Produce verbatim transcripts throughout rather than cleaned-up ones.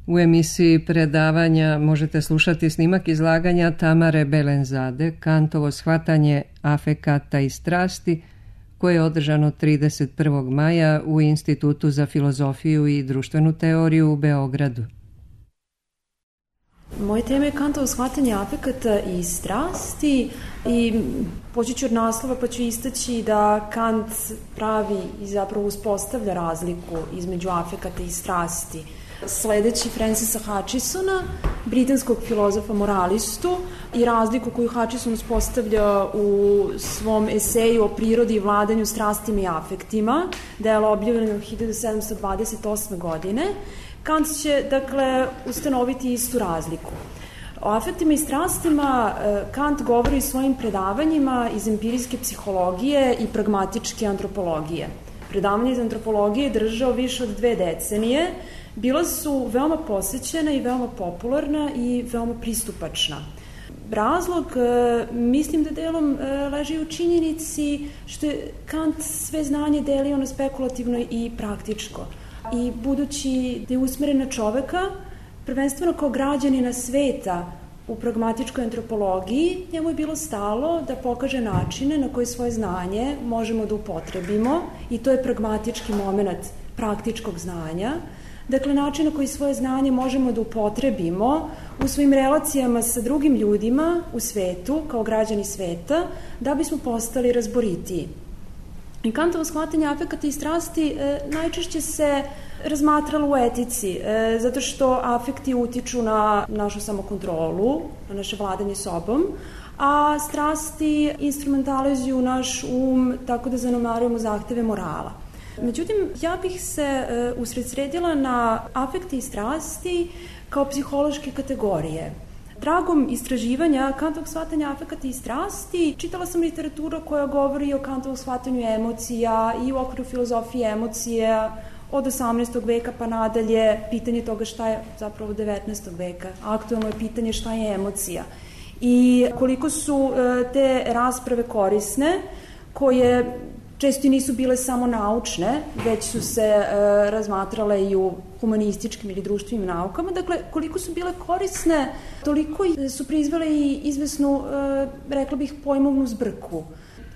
U emisiji predavanja možete slušati snimak izlaganja Tamare Belenzade, Kantovo shvatanje afekata i strasti, koje je održano trideset prvog maja u Institutu za filozofiju i društvenu teoriju u Beogradu. Moje tema je Kantovo shvatanje afekata i strasti i poći ću od naslova pa ću istaći da Kant pravi i zapravo uspostavlja razliku između afekata i strasti. Sledeći Francisa Hutchesona, britanskog filozofa moralistu, i razliku koju Hutcheson uspostavlja u svom eseju o prirodi i vladanju strastima i afektima, delo objavljeno hiljadu sedamsto dvadeset osme. godine, Kant će, dakle, ustanoviti istu razliku. O afektima i strastima Kant govori u svojim predavanjima iz empirijske psihologije i pragmatičke antropologije. Predavanje iz antropologije je držao više od dve decenije, bila su veoma posećena i veoma popularna i veoma pristupačna. Razlog, mislim da delom leži u činjenici što je Kant sve znanje delio na spekulativno i praktičko. I budući da je usmeren na čoveka, prvenstveno kao građanina sveta u pragmatičkoj antropologiji, njemu je bilo stalo da pokaže načine na koje svoje znanje možemo da upotrebimo, i to je pragmatički moment praktičkog znanja. Dakle, način na koji svoje znanje možemo da upotrebimo u svojim relacijama sa drugim ljudima u svetu, kao građani sveta, da bismo postali razboritiji. I Kantovo shvatanje afekata i strasti e, najčešće se razmatralo u etici, e, zato što afekti utiču na našu samokontrolu, na naše vladanje sobom, a strasti instrumentalizuju naš um tako da zanemarujemo zahteve morala. Međutim, ja bih se e, usredsredila na afekte i strasti kao psihološke kategorije. Tragom istraživanja Kantovog shvatanja afekata i strasti čitala sam literaturu koja govori o Kantovom shvatanju emocija i u okviru filozofije emocija od osamnaestog veka pa nadalje. Pitanje toga šta je zapravo devetnaestog veka. Aktuelno je pitanje šta je emocija. I koliko su e, te rasprave korisne, koje često nisu bile samo naučne, već su se e, razmatrale i u humanističkim ili društvenim naukama. Dakle, koliko su bile korisne, toliko su proizvele i izvesnu, e, rekla bih, pojmovnu zbrku.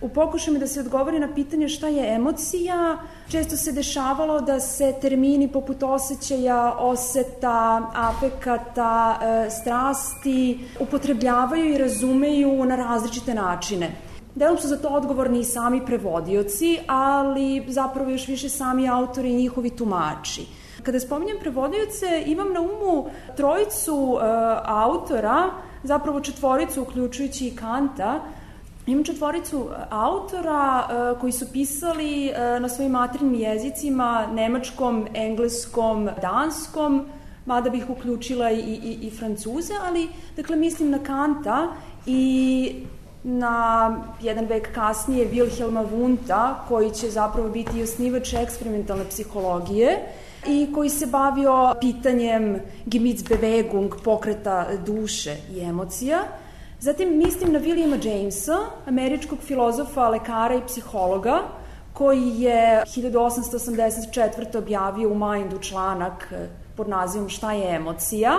U pokušaju da se odgovori na pitanje šta je emocija, često se dešavalo da se termini poput osjećaja, oseta, afekata, e, strasti upotrebljavaju i razumeju na različite načine. Delom su za to odgovorni i sami prevodioci, ali zapravo još više sami autori i njihovi tumači. Kada spominjem prevodioce, imam na umu trojicu e, autora, zapravo četvoricu uključujući i Kanta. Imam četvoricu autora e, koji su pisali e, na svojim materinjim jezicima, nemačkom, engleskom, danskom, mada bih uključila i, i, i Francuze, ali dakle mislim na Kanta i na jedan vek kasnije Wilhelma Wundta, koji će zapravo biti i osnivač eksperimentalne psihologije i koji se bavio pitanjem Gemütsbewegung, pokreta duše i emocija. Zatim mislim na Williama Jamesa, američkog filozofa, lekara i psihologa, koji je hiljadu osamsto osamdeset četvrte. objavio u Mindu članak pod nazivom Šta je emocija.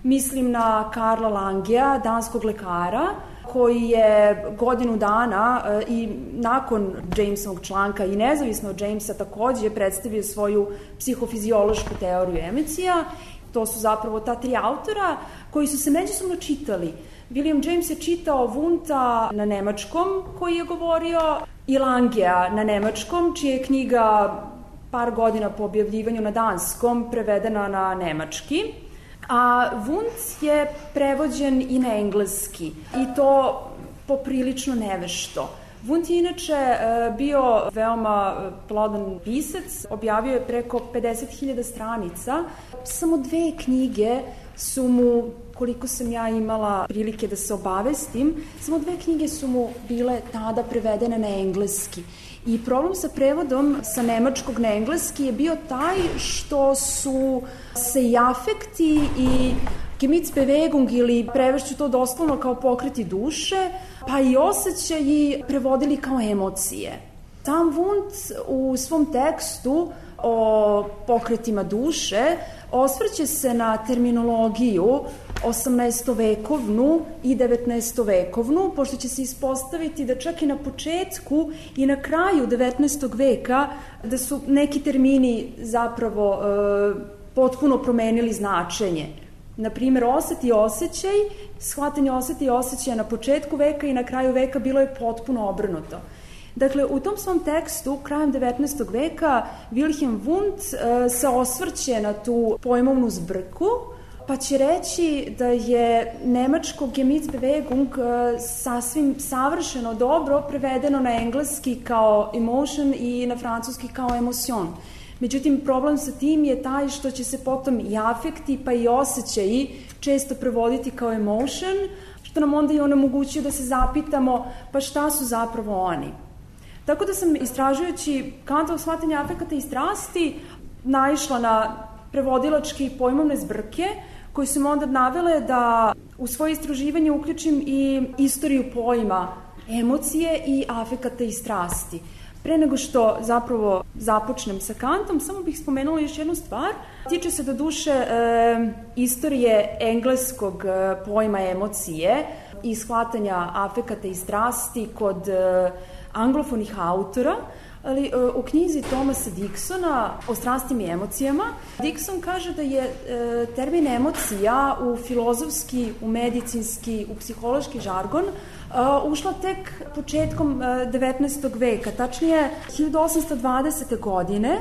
Mislim na Karla Langea, danskog lekara, koji je godinu dana i nakon Jamesovog članka i nezavisno od Jamesa takođe predstavio svoju psihofiziološku teoriju emocija. To su zapravo ta tri autora koji su se međusobno čitali. William James je čitao Wundta na nemačkom, koji je govorio, i Langea na nemačkom, čija je knjiga par godina po objavljivanju na danskom prevedena na nemački. A Wundt je prevođen i na engleski, i to poprilično nevešto. Wundt je inače bio veoma plodan pisac, objavio je preko pedeset hiljada stranica. Samo dve knjige su mu, koliko sam ja imala prilike da se obavestim, samo dve knjige su mu bile tada prevedene na engleski. I problem sa prevodom sa nemačkog na engleski je bio taj što su se i afekti i Gemütsbewegung, ili prevešću to doslovno kao pokreti duše, pa i osjećaji prevodili kao emocije. Sam Wundt u svom tekstu o pokretima duše, osvrće se na terminologiju osamnaestovekovnu i devetnaestovekovnu, pošto će se ispostaviti da čak i na početku i na kraju devetnaestog veka da su neki termini zapravo e, potpuno promenili značenje. Na primjer, osjet i osjećaj, shvatanje osjeta i osjećaja na početku veka i na kraju veka bilo je potpuno obrnuto. Dakle, u tom svom tekstu, krajem devetnaestog veka, Wilhelm Wundt e, se osvrće na tu pojmovnu zbrku, pa će reći da je nemačko Gemütsbewegung e, sasvim savršeno dobro prevedeno na engleski kao emotion i na francuski kao emotion. Međutim, problem sa tim je taj što će se potom i afekti pa i osjećaji često prevoditi kao emotion, što nam onda i onemogućuje da se zapitamo pa šta su zapravo oni. Tako da sam, istražujući Kantovo shvatanje afekata i strasti, naišla na prevodilačke i pojmovne zbrke, koje su me onda navele da u svoje istraživanje uključim i istoriju pojma emocije i afekata i strasti. Pre nego što zapravo započnem sa Kantom, samo bih spomenula još jednu stvar. Tiče se do duše e, istorije engleskog e, pojma emocije i shvatanja afekata i strasti kod e, anglofonih autora, ali e, u knjizi Thomasa Dicksona o strastima i emocijama, Dickson kaže da je e, termin emocija u filozofski, u medicinski, u psihološki žargon Uh, ušla tek početkom uh, devetnaestog veka, tačnije hiljadu osamsto dvadesete godine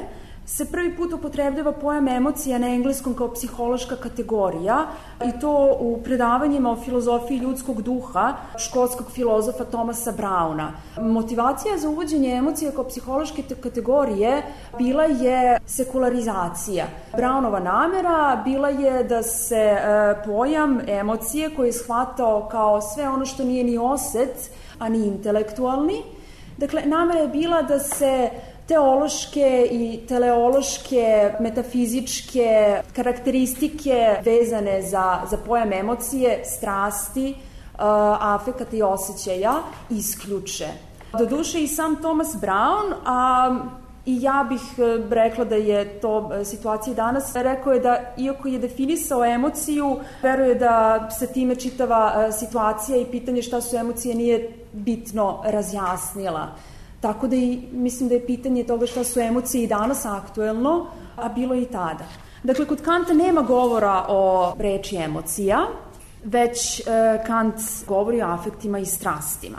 se prvi put upotrebljava pojam emocija na engleskom kao psihološka kategorija i to u predavanjima o filozofiji ljudskog duha škotskog filozofa Thomasa Browna. Motivacija za uvođenje emocija kao psihološke kategorije bila je sekularizacija. Brownova namera bila je da se e, pojam emocije koji je shvatao kao sve ono što nije ni oset, a ni intelektualni. Dakle, namera je bila da se teološke i teleološke, metafizičke karakteristike vezane za, za pojam emocije, strasti, uh, afekata i osjećaja isključe. Doduše i sam Thomas Brown, a i ja bih rekla da je to situacija danas, rekao je da iako je definisao emociju, veruje da se time čitava situacija i pitanje šta su emocije nije bitno razjasnila. Tako da i mislim da je pitanje toga šta su emocije i danas aktuelno, a bilo i tada. Dakle, kod Kanta nema govora o reči emocija, već e, Kant govori o afektima i strastima.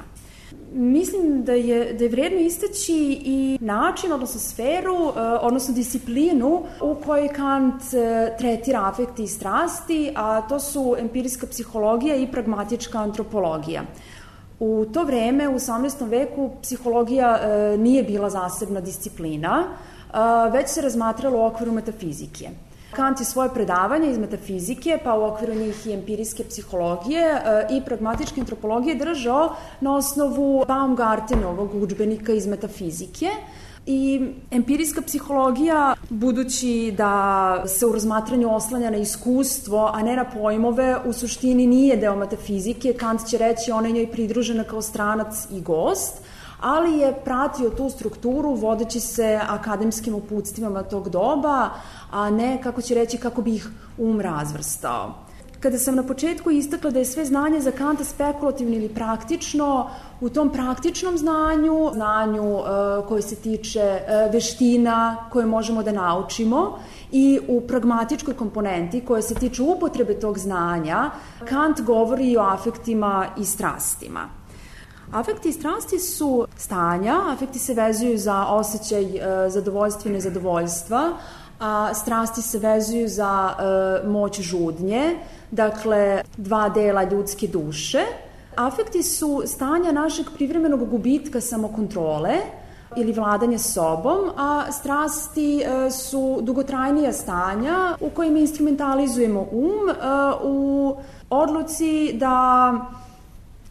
Mislim da je, da je vredno istaći i način, odnosno sferu, e, odnosno disciplinu u kojoj Kant e, tretira afekti i strasti, a to su empirijska psihologija i pragmatička antropologija. U to vreme, u osamnaestom veku, psihologija e, nije bila zasebna disciplina, e, već se razmatrala u okviru metafizike. Kant je svoje predavanje iz metafizike, pa u okviru njih i empirijske psihologije e, i pragmatičke antropologije držao na osnovu Baumgartenovog udžbenika iz metafizike. I empirijska psihologija, budući da se u razmatranju oslanja na iskustvo, a ne na pojmove, u suštini nije deo metafizike. Kant će reći ona je njoj pridružena kao stranac i gost, ali je pratio tu strukturu vodeći se akademskim uputstvima tog doba, a ne, kako će reći, kako bi ih um razvrstao. Kada sam na početku istakla da je sve znanje za Kanta spekulativno ili praktično, u tom praktičnom znanju, znanju e, koje se tiče e, veština koje možemo da naučimo i u pragmatičkoj komponenti koje se tiče upotrebe tog znanja, Kant govori i o afektima i strastima. Afekti i strasti su stanja, afekti se vezuju za osjećaj e, zadovoljstva i nezadovoljstva, a strasti se vezuju za e, moć žudnje, dakle dva dela ljudske duše. Afekti su stanja našeg privremenog gubitka samokontrole ili vladanja sobom, a strasti e, su dugotrajnija stanja u kojima instrumentalizujemo um e, u odluci da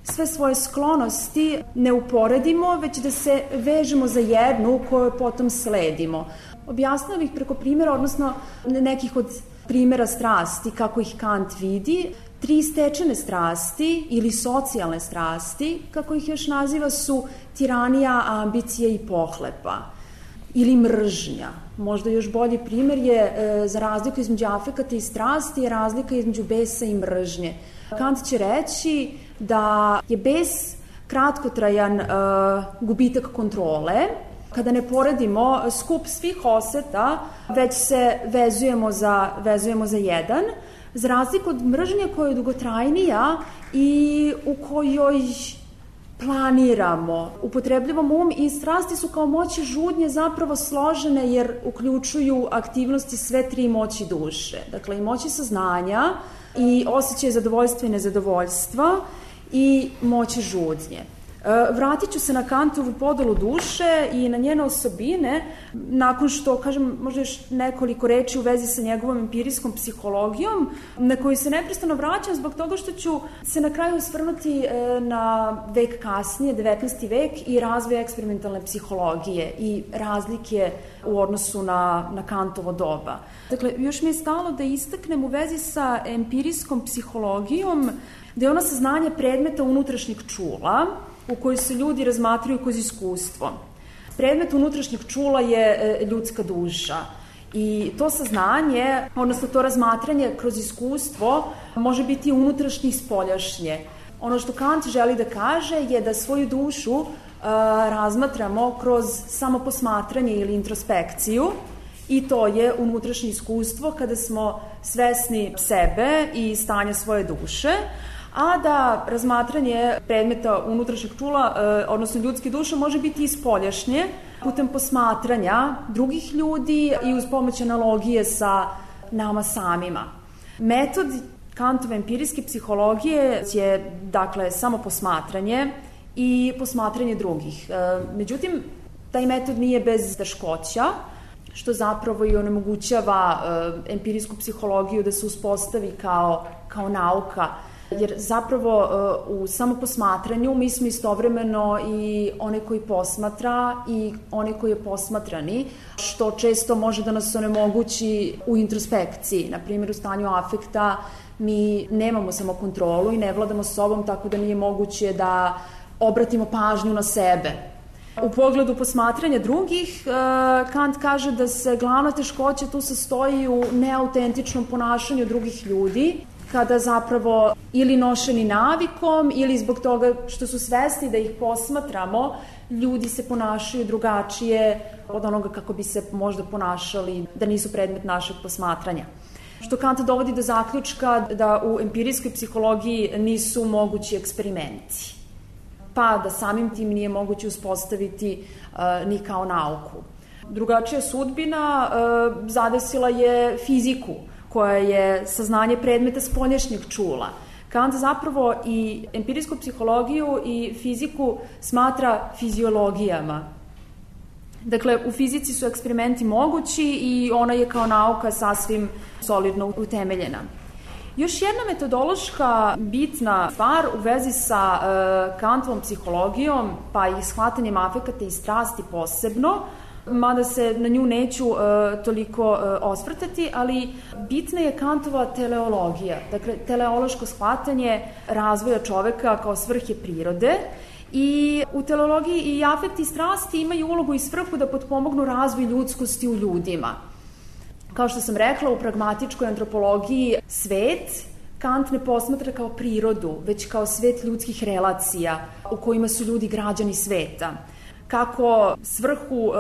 sve svoje sklonosti ne uporedimo, već da se vežemo za jednu koju potom sledimo. Objasnila bih preko primjera, odnosno nekih od primjera strasti, kako ih Kant vidi. Tri stečene strasti ili socijalne strasti, kako ih još naziva, su tiranija, ambicija i pohlepa ili mržnja. Možda još bolji primer je e, za razliku između afekata i strasti je razlika između besa i mržnje. Kant će reći da je bes kratkotrajan e, gubitak kontrole, kada ne poredimo skup svih oseta, već se vezujemo za, vezujemo za jedan, za razliku od mržnje koja je dugotrajnija i u kojoj planiramo, upotrebljavamo um, i strasti su kao moći žudnje zapravo složene jer uključuju aktivnosti sve tri moći duše. Dakle, i moći saznanja, i osjećaje zadovoljstva i nezadovoljstva, i moći žudnje. Vratit ću se na Kantovu podelu duše i na njene osobine, nakon što, kažem, možda još nekoliko reči u vezi sa njegovom empirijskom psihologijom, na koju se neprestano vraćam zbog toga što ću se na kraju osvrnuti na vek kasnije, devetnaesti vek, i razvoj eksperimentalne psihologije i razlike u odnosu na, na Kantovo doba. Dakle, još mi je stalo da istaknem u vezi sa empirijskom psihologijom da je ono saznanje predmeta unutrašnjeg čula, u kojoj se ljudi razmatraju kroz iskustvo. Predmet unutrašnjeg čula je ljudska duša i to saznanje, odnosno to razmatranje kroz iskustvo, može biti unutrašnje i spoljašnje. Ono što Kant želi da kaže je da svoju dušu uh, razmatramo kroz samoposmatranje ili introspekciju, i to je unutrašnje iskustvo kada smo svesni sebe i stanja svoje duše, a da razmatranje predmeta unutrašnjeg čula, odnosno ljudske duše, može biti i spoljašnje, putem posmatranja drugih ljudi i uz pomoć analogije sa nama samima. Metod Kantove empirijske psihologije je, dakle, samo posmatranje i posmatranje drugih. Međutim, taj metod nije bez teškoća, što zapravo i onemogućava empirijsku psihologiju da se uspostavi kao, kao nauka, jer zapravo u samoposmatranju mi smo istovremeno i onaj koji posmatra i onaj koji je posmatrani, što često može da nas onemogući u introspekciji. Na primjer, u stanju afekta mi nemamo samokontrolu i ne vladamo sobom, tako da nije moguće da obratimo pažnju na sebe. U pogledu posmatranja drugih, Kant kaže da se glavna teškoća tu sastoji u neautentičnom ponašanju drugih ljudi, kada zapravo ili nošeni navikom ili zbog toga što su svesni da ih posmatramo, ljudi se ponašaju drugačije od onoga kako bi se možda ponašali da nisu predmet našeg posmatranja. Što Kant dovodi do zaključka da u empirijskoj psihologiji nisu mogući eksperimenti, pa da samim tim nije moguće uspostaviti uh, ni kao nauku. Drugačija sudbina uh, zadesila je fiziku, koja je saznanje predmeta spoljašnjeg čula. Kant zapravo i empirijsku psihologiju i fiziku smatra fiziologijama. Dakle, u fizici su eksperimenti mogući i ona je kao nauka sasvim solidno utemeljena. Još jedna metodološka bitna stvar u vezi sa uh, Kantovom psihologijom, pa i shvatanjem afekata i strasti posebno, mada se na nju neću uh, toliko uh, osvrtati, ali bitna je Kantova teleologija, dakle teleološko shvatanje razvoja čoveka kao svrhe prirode, i u teleologiji i afekti i strasti imaju ulogu i svrhu da potpomognu razvoj ljudskosti u ljudima. Kao što sam rekla, u pragmatičkoj antropologiji svet Kant ne posmatra kao prirodu, već kao svet ljudskih relacija u kojima su ljudi građani sveta. Kako svrhu e,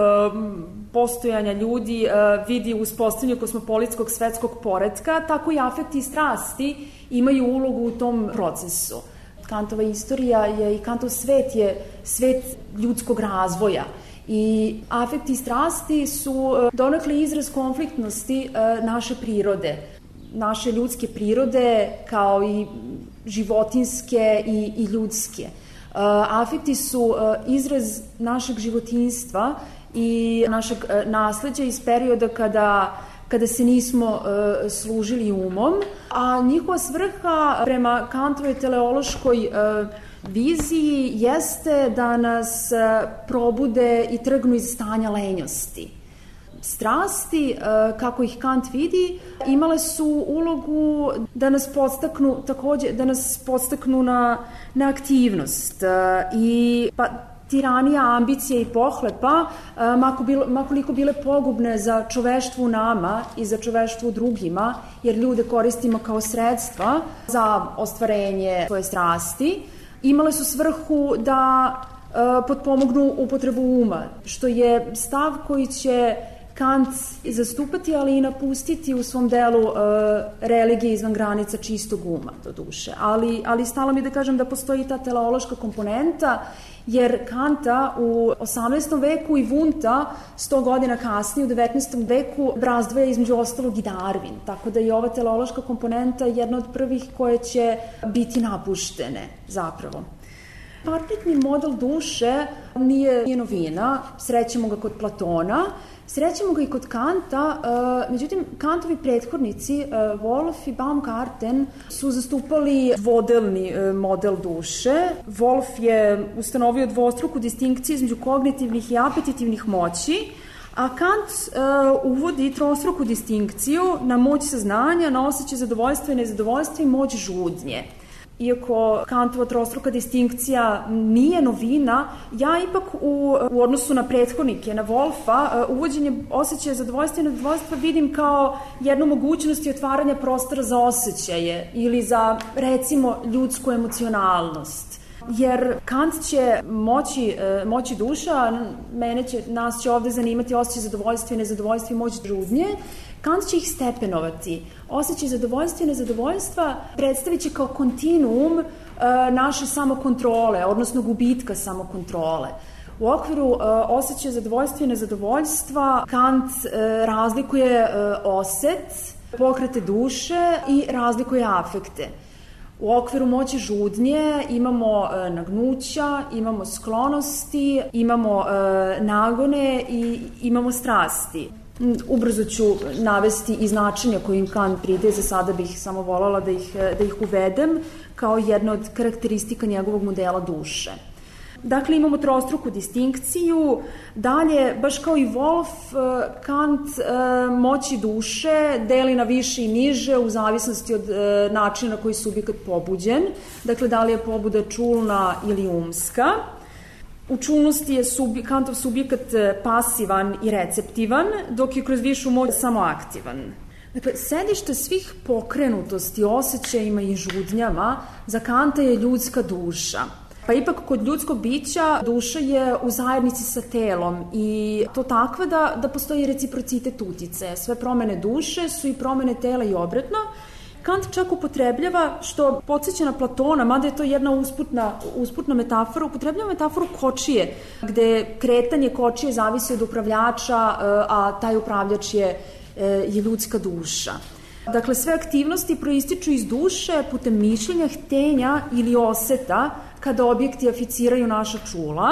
postojanja ljudi e, vidi u uspostavljanju kosmopolitskog svetskog poretka, tako i afekti i strasti imaju ulogu u tom procesu. Kantova istorija je i Kantov svet je svet ljudskog razvoja. I afekti i strasti su donekle izraz konfliktnosti naše prirode, naše ljudske prirode kao i životinske i, i ljudske. Afekti su izraz našeg životinjstva i našeg nasleđa iz perioda kada, kada se nismo uh, služili umom, a njihova svrha prema Kantovoj teleološkoj uh, viziji jeste da nas uh, probude i trgnu iz stanja lenjosti. Strasti, uh, kako ih Kant vidi, imale su ulogu da nas podstaknu, takođe, da nas podstaknu na, na aktivnost uh, i pa tiranija, ambicije i pohlepa, makoliko bile pogubne za čoveštvo u nama i za čoveštvo u drugima, jer ljude koristimo kao sredstva za ostvarenje svoje strasti, imale su svrhu da potpomognu upotrebu uma, što je stav koji će Kant zastupati, ali i napustiti u svom delu uh, religije izvan granica čistog uma, do duše. Ali, ali stalo mi da kažem da postoji ta teleološka komponenta, jer Kanta u osamnaestom veku i Wundta sto godina kasnije, u devetnaestom veku, razdvaja između ostalog i Darwin. Tako da je ova teleološka komponenta jedna od prvih koje će biti napuštene zapravo. Parpitni model duše nije, nije novina, srećemo ga kod Platona, srećemo ga i kod Kanta, uh, međutim, Kantovi prethodnici, uh, Wolff i Baumgarten, su zastupali dvodelni uh, model duše. Wolff je ustanovio dvostruku distinkciju između kognitivnih i apetitivnih moći, a Kant uh, uvodi trostruku distinkciju na moć saznanja, na osjećaj zadovoljstva i nezadovoljstva i moć žudnje. Iako Kantova trostruka distinkcija nije novina, ja ipak u, u odnosu na prethodnike, na Wolffa, uvođenje osjećaja zadovoljstva i nezadovoljstva vidim kao jednu mogućnost i otvaranja prostora za osjećaje ili za, recimo, ljudsku emocionalnost. Jer Kant će moći, moći duša, mene će, nas će ovde zanimati osjećaj zadovoljstva i nezadovoljstva i moć žudnje, Kant će ih stepenovati. Osjećaj zadovoljstva i nezadovoljstva predstavit će kao kontinuum e, naše samokontrole, odnosno gubitka samokontrole. U okviru e, osjećaja zadovoljstva i nezadovoljstva Kant e, razlikuje e, oset, pokrete duše i razlikuje afekte. U okviru moći žudnje imamo e, nagnuća, imamo sklonosti, imamo e, nagone i imamo strasti. Ubrzo ću navesti i značenja kojim Kant pridaje, za sada bih samo voljela da ih, da ih uvedem kao jedna od karakteristika njegovog modela duše. Dakle, imamo trostruku distinkciju, dalje, baš kao i Wolff, Kant moći duše deli na više i niže u zavisnosti od načina na koji je subjekat pobuđen, dakle, da li je pobuda čulna ili umska. U čulnosti je subje, Kantov subjekat pasivan i receptivan, dok je kroz višu moć samo aktivan. Dakle, sedište svih pokrenutosti, osjećajima i žudnjama za Kanta je ljudska duša. Pa ipak kod ljudskog bića duša je u zajednici sa telom i to takva da, da postoji reciprocitet utice. Sve promene duše su i promene tela i obratno. Kant čak upotrebljava, što podsjeća na Platona, mada je to jedna usputna, usputna metafora, upotrebljava metaforu kočije, gde kretanje kočije zavisi od upravljača, a taj upravljač je, je ljudska duša. Dakle, sve aktivnosti proističu iz duše putem mišljenja, htenja ili oseta kada objekti aficiraju naša čula,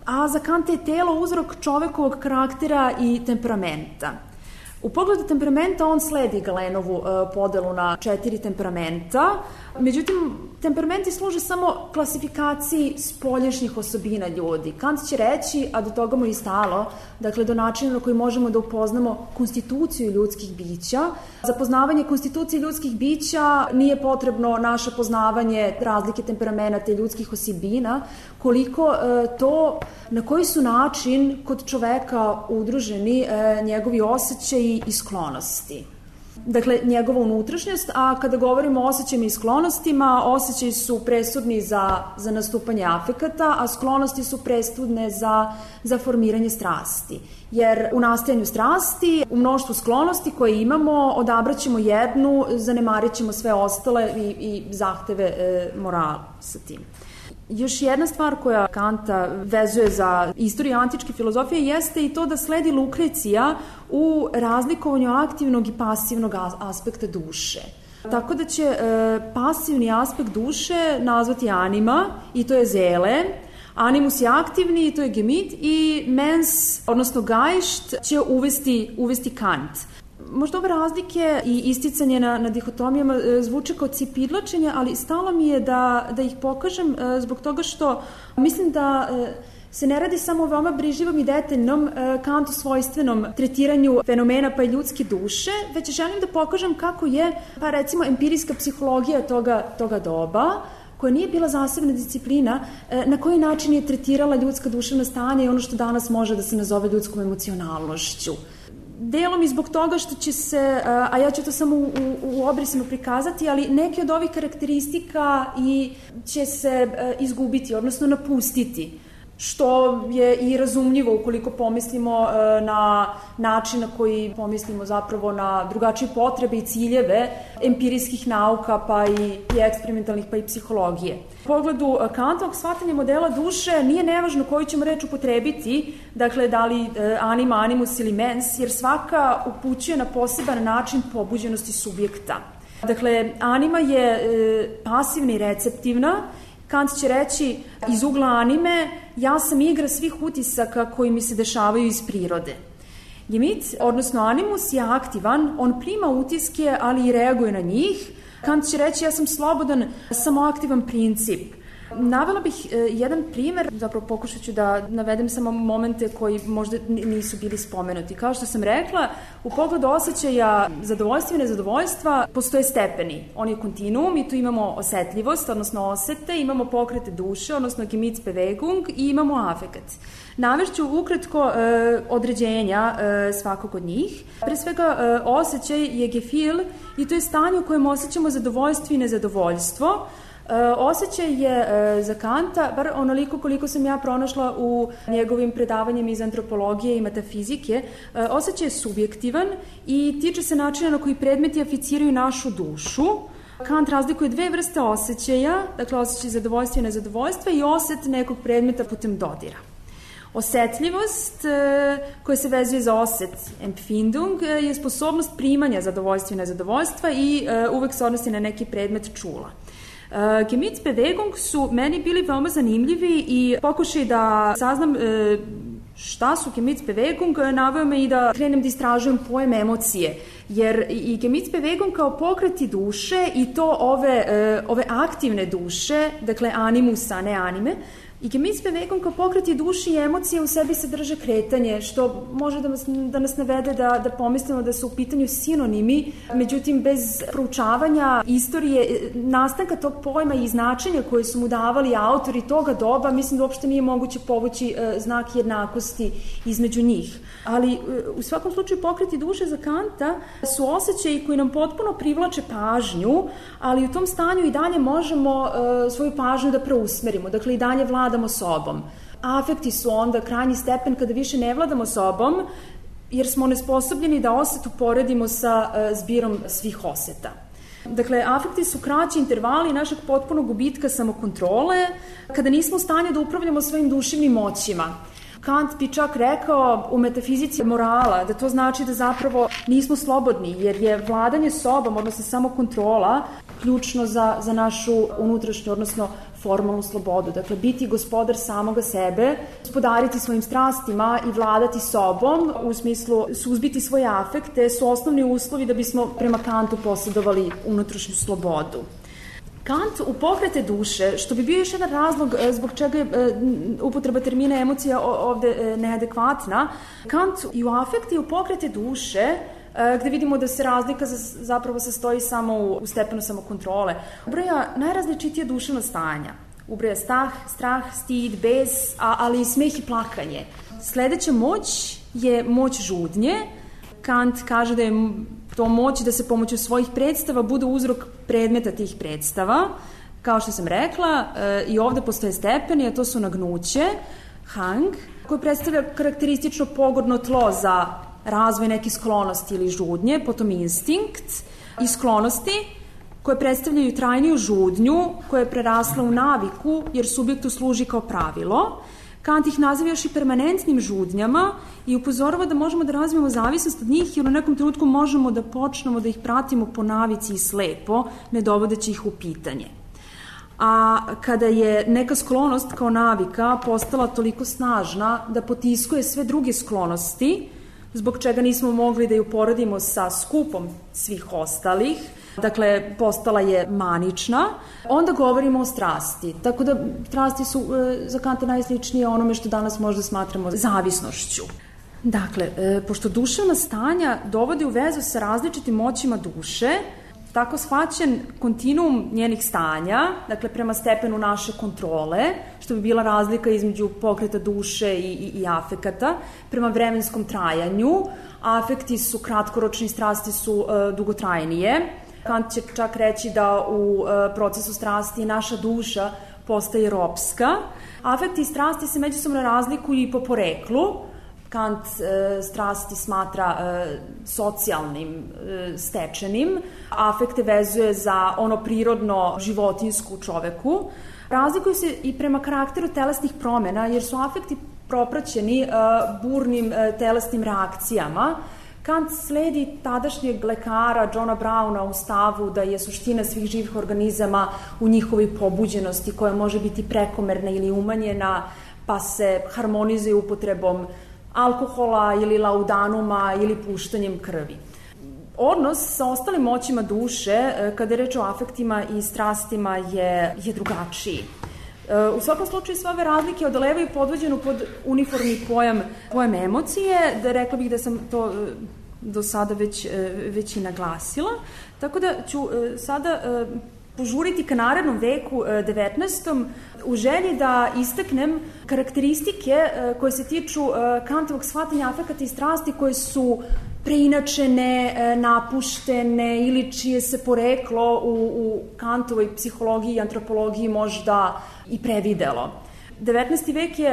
a za Kanta je telo uzrok čovekovog karaktera i temperamenta. U pogledu temperamenta on sledi Galenovu uh, podelu na četiri temperamenta, međutim, temperamenti služe samo klasifikaciji spoljašnjih osobina ljudi. Kant će reći, a do toga mu je i stalo, dakle do načina na koji možemo da upoznamo konstituciju ljudskih bića. Za poznavanje konstitucije ljudskih bića nije potrebno naše poznavanje razlike temperamenata i ljudskih osobina, koliko e, to na koji su način kod čoveka udruženi e, njegovi osjećaji i sklonosti. Dakle, njegova unutrašnjost, a kada govorimo o osjećajima i sklonostima, osjećaji su presudni za, za nastupanje afekata, a sklonosti su presudne za, za formiranje strasti. Jer u nastajanju strasti, u mnoštvu sklonosti koje imamo, odabraćemo jednu, zanemarit ćemo sve ostale i, i zahteve e, morala sa tim. Još jedna stvar koja Kanta vezuje za istoriju antičke filozofije jeste i to da sledi Lukrecija u razlikovanju aktivnog i pasivnog aspekta duše. Tako da će e, pasivni aspekt duše nazvati anima i to je zele, animus je aktivni i to je gemit i mens, odnosno gajšt, će uvesti, uvesti Kant. Možda ove razlike i isticanje na, na dihotomijama zvuče kao cipidlačenje, ali stalo mi je da, da ih pokažem zbog toga što mislim da se ne radi samo o veoma brižljivom i detaljnom Kantu svojstvenom tretiranju fenomena pa i ljudske duše, već želim da pokažem kako je, pa recimo, empirijska psihologija toga, toga doba koja nije bila zasebna disciplina, na koji način je tretirala ljudska duševna stanja i ono što danas može da se nazove ljudskom emocionalnošću. Delom i zbog toga što će se, a ja ću to samo u, u, u obrisima prikazati, ali neke od ovih karakteristika i će se izgubiti, odnosno napustiti, što je i razumljivo ukoliko pomislimo na način na koji pomislimo zapravo na drugačije potrebe i ciljeve empirijskih nauka, pa i, i eksperimentalnih, pa i psihologije. U pogledu Kantovog shvatanja modela duše nije nevažno koju ćemo reč upotrebiti, dakle da li anima, animus ili mens, jer svaka upućuje na poseban način pobuđenosti subjekta. Dakle, anima je e, pasivna i receptivna. Kant će reći iz ugla anime, ja sam igra svih utisaka koji mi se dešavaju iz prirode. Gemit, odnosno animus, je aktivan, on prima utiske, ali i reaguje na njih. Kant će reći, ja sam slobodan, samoaktivan princip. Navela bih e, jedan primer, zapravo pokušat ću da navedem samo momente koji možda nisu bili spomenuti. Kao što sam rekla, u pogledu osjećaja zadovoljstva i nezadovoljstva postoje stepeni. On je kontinuum i tu imamo osetljivost, odnosno osete, imamo pokrete duše, odnosno Gemütsbewegung i imamo afekat. Navešću ukratko e, određenja e, svakog od njih. Pre svega, e, osjećaj je Gefühl i to je stanje u kojem osjećamo zadovoljstvo i nezadovoljstvo. E, osjećaj je e, za Kanta, bar onoliko koliko sam ja pronašla u njegovim predavanjima iz antropologije i metafizike, e, osjećaj je subjektivan i tiče se načina na koji predmeti aficiraju našu dušu. Kant razlikuje dve vrste osjećaja, dakle osjećaj zadovoljstva i nezadovoljstva i oset nekog predmeta putem dodira. Osetljivost koja se vezuje za oset empfindung je sposobnost primanja zadovoljstva i nezadovoljstva i uvek se odnosi na neki predmet čula. Gemütsbewegung su meni bili veoma zanimljivi i pokušaj da saznam šta su Gemütsbewegung naveo me i da krenem da istražujem pojem emocije, jer i Gemütsbewegung kao pokreti duše i to ove, ove aktivne duše, dakle animusa, a ne anime, i Gemütsbewegung kao pokreti duše i emocije u sebi sadrže kretanje, što može da nas, da nas navede da, da pomislimo da su u pitanju sinonimi, međutim bez proučavanja istorije, nastanka tog pojma i značenja koje su mu davali autori toga doba, mislim da uopšte nije moguće povući e, znak jednakosti između njih. Ali e, u svakom slučaju pokreti duše za Kanta su osjećaji koji nam potpuno privlače pažnju, ali u tom stanju i dalje možemo e, svoju pažnju da preusmerimo, dakle i dalje vladamo sobom. Afekti su onda krajnji stepen kada više ne vladamo sobom, jer smo nesposobljeni da oset uporedimo sa e, zbirom svih oseta. Dakle, afekti su kraći intervali našeg potpunog gubitka samokontrole, kada nismo u stanju da upravljamo svojim duševnim moćima. Kant bi čak rekao u metafizici morala da to znači da zapravo nismo slobodni, jer je vladanje sobom, odnosno samokontrola, ključno za, za našu unutrašnju, odnosno formalnu slobodu. Dakle, biti gospodar samoga sebe, gospodariti svojim strastima i vladati sobom, u smislu suzbiti svoje afekte, su osnovni uslovi da bismo prema Kantu posjedovali unutrašnju slobodu. Kant u pokrete duše, što bi bio još jedan razlog zbog čega je upotreba termina emocija ovde neadekvatna, Kant i u afekte i u pokrete duše, gde vidimo da se razlika zapravo sastoji samo u stepenu samokontrole, ubraja najrazličitija duševna stanja. Ubraja strah, strah, stid, bes, ali i smeh i plakanje. Sledeća moć je moć žudnje. Kant kaže da je to moć da se pomoću svojih predstava bude uzrok predmeta tih predstava. Kao što sam rekla, i ovde postoje stepeni, a to su nagnuće, hang, koje predstavlja karakteristično pogodno tlo za razvoj neke sklonosti ili žudnje, potom instinkt i sklonosti koje predstavljaju trajniju žudnju koja je prerasla u naviku jer subjektu služi kao pravilo. Kant ih naziva još i permanentnim žudnjama i upozorava da možemo da razvijemo zavisnost od njih jer u nekom trenutku možemo da počnemo da ih pratimo po navici i slepo, ne dovodeći ih u pitanje. A kada je neka sklonost kao navika postala toliko snažna da potiskuje sve druge sklonosti, zbog čega nismo mogli da ju poredimo sa skupom svih ostalih, dakle, postala je manična, onda govorimo o strasti. Tako da strasti su e, za Kanta najsličnije onome što danas možda smatramo zavisnošću. Dakle, e, pošto duševna stanja dovode u vezu sa različitim moćima duše, tako shvaćen kontinuum njenih stanja, dakle prema stepenu naše kontrole, što bi bila razlika između pokreta duše i, i, i afekata, prema vremenskom trajanju. Afekti su kratkoročni, strasti su uh, dugotrajnije. Kant će čak reći da u uh, procesu strasti naša duša postaje ropska. Afekti i strasti se međusobno razlikuju i po poreklu. Kant e, strasti smatra e, socijalnim, e, stečenim, afekte vezuje za ono prirodno životinjsku čoveku. Razlikuju se i prema karakteru telesnih promena, jer su afekti propraćeni e, burnim e, telesnim reakcijama. Kant sledi tadašnjeg lekara Johna Browna u stavu da je suština svih živih organizama u njihovoj pobuđenosti, koja može biti prekomerna ili umanjena, pa se harmonizuje upotrebom alkohola ili laudanuma ili puštanjem krvi. Odnos sa ostalim moćima duše, kada je reč o afektima i strastima, je, je drugačiji. U svakom slučaju sve ove razlike odolevaju podvođenu pod uniformni pojam, pojam emocije, da rekla bih da sam to do sada već, već i naglasila. Tako da ću sada požuriti ka narednom veku devetnaestom u želji da istaknem karakteristike koje se tiču Kantovog shvatanja afekata i strasti, koje su preinačene, napuštene ili čije se poreklo u, u Kantovoj psihologiji i antropologiji možda i previdelo. devetnaesti vek je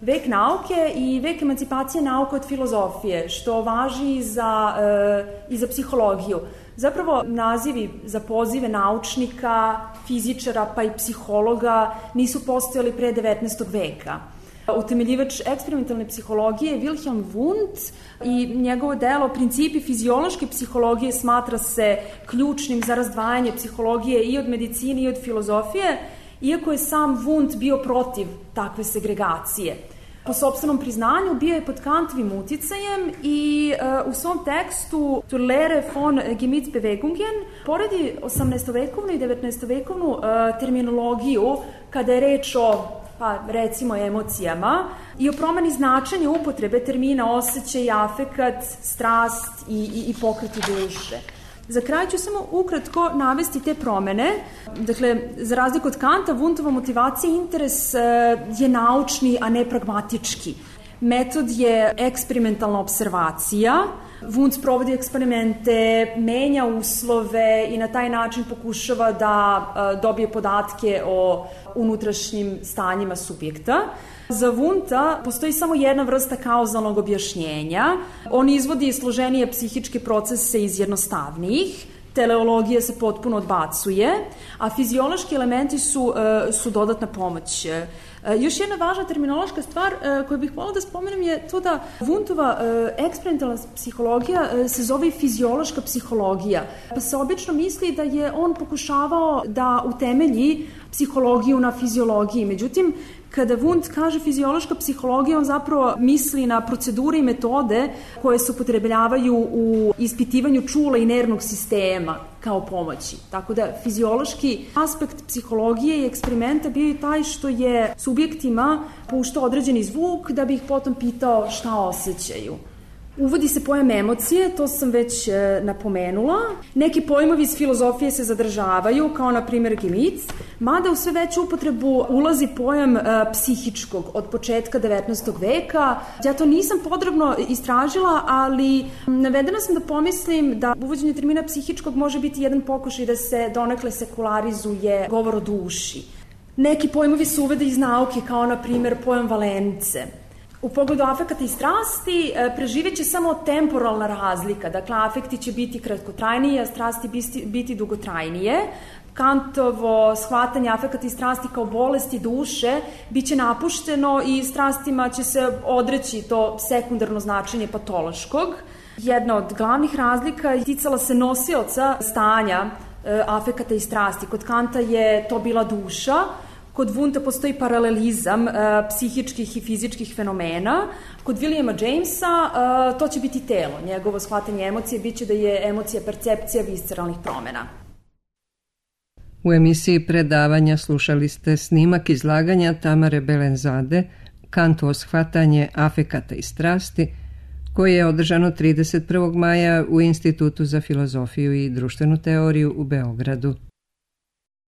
vek nauke i vek emancipacije nauke od filozofije, što važi i za, i za psihologiju. Zapravo, nazivi za pozive naučnika, fizičara pa i psihologa nisu postojali pre devetnaestog veka. Utemeljivač eksperimentalne psihologije Wilhelm Wundt i njegovo delo Principi fiziološke psihologije smatra se ključnim za razdvajanje psihologije i od medicine i od filozofije, iako je sam Wundt bio protiv takve segregacije. Po sopstvenom priznanju bio je pod Kantovim uticajem i uh, u svom tekstu Zur Lehre von Gemütsbewegungen poredi osamnaestovekovnu i devetnaestovekovnu uh, terminologiju kada je reč o, pa recimo, emocijama i o promeni značenja upotrebe termina osjećaj, afekat, strast i, i, i pokreti duše. Za kraj ću samo ukratko navesti te promene. Dakle, za razliku od Kanta, Wundtova motivacija i interes je naučni, a ne pragmatički. Metod je eksperimentalna observacija. Wundt provodi eksperimente, menja uslove i na taj način pokušava da dobije podatke o unutrašnjim stanjima subjekta. Za Wundta postoji samo jedna vrsta kauzalnog objašnjenja. On izvodi složenije psihičke procese iz jednostavnijih, teleologija se potpuno odbacuje, a fiziološki elementi su, su dodatna pomoć. Još jedna važna terminološka stvar koju bih volila da spomenem je to da Wundtova eksperimentalna psihologija se zove fiziološka psihologija. Pa se obično misli da je on pokušavao da utemelji psihologiju na fiziologiji. Međutim, kada Wundt kaže fiziološka psihologija, on zapravo misli na procedure i metode koje se upotrebljavaju u ispitivanju čula i nervnog sistema kao pomoći. Tako da fiziološki aspekt psihologije i eksperimenta bio je taj što je subjektima puštao određeni zvuk da bi ih potom pitao šta osjećaju. Uvodi se pojam emocije, to sam već e, napomenula. Neki pojmovi iz filozofije se zadržavaju, kao na primjer Gemüt, mada u sve veću upotrebu ulazi pojam e, psihičkog od početka devetnaestog veka. Ja to nisam podrobno istražila, ali navedena sam da pomislim da uvođenje termina psihičkog može biti jedan pokušaj da se donekle sekularizuje govor o duši. Neki pojmovi se uvede iz nauke, kao na primjer pojam valence. U pogledu afekata i strasti preživjet će samo temporalna razlika, dakle afekti će biti kratkotrajnije, a strasti biti dugotrajnije. Kantovo shvatanje afekata i strasti kao bolesti duše bit će napušteno i strastima će se odreći to sekundarno značenje patološkog. Jedna od glavnih razlika ticala se nosioca stanja afekata i strasti. Kod Kanta je to bila duša. Kod Wundta postoji paralelizam uh, psihičkih i fizičkih fenomena. Kod Williama Jamesa uh, to će biti telo. Njegovo shvatanje emocije biće da je emocija percepcija visceralnih promena. U emisiji predavanja slušali ste snimak izlaganja Tamare Belenzade, Kantovo shvatanje afekata i strasti, koje je održano trideset prvog maja u Institutu za filozofiju i društvenu teoriju u Beogradu.